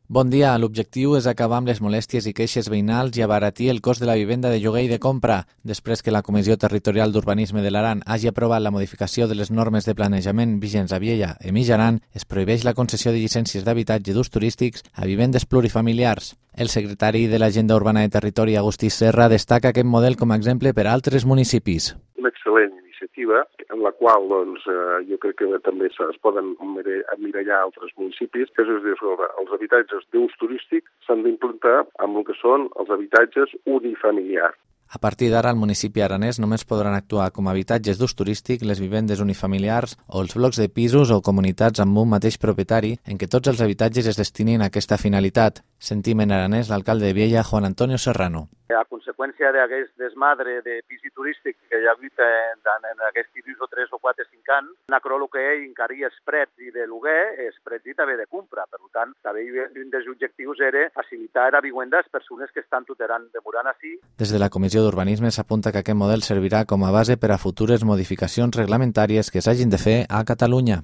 Bon dia. L'objectiu és acabar amb les molèsties i queixes veïnals i abaratir el cost de la vivenda de lloguer i de compra. Després que la Comissió Territorial d'Urbanisme de l'Aran hagi aprovat la modificació de les normes de planejament vigents a Viella i Mitjaran, es prohibeix la concessió de llicències d'habitatge d'ús turístics a vivendes plurifamiliars. El secretari de l'Agenda Urbana de Territori, Agustí Serra, destaca aquest model com a exemple per a altres municipis. Una excel·lent iniciativa en la qual jo crec que també es poden emmirallar altres municipis, que és dir, els habitatges d'ús turístic s'han d'implantar amb el que són els habitatges unifamiliars. A partir d'ara, al municipi aranès només podran actuar com a habitatges d'ús turístic les vivendes unifamiliars o els blocs de pisos o comunitats amb un mateix propietari en què tots els habitatges es destinin a aquesta finalitat. Sentim en aranès l'alcalde de Viella, Juan Antonio Serrano. A conseqüència d'aquest desmadre de pisi turístic que hi ha hagut en aquests pisos de 3 o 4 o 5 anys, el que encara hi ha prets i de lloguer, és prets i també de compra. Per tant, també un dels objectius era facilitar a vivienda a les persones que estan demorant així. Des de la Comissió d'Urbanisme s'apunta que aquest model servirà com a base per a futures modificacions reglamentàries que s'hagin de fer a Catalunya.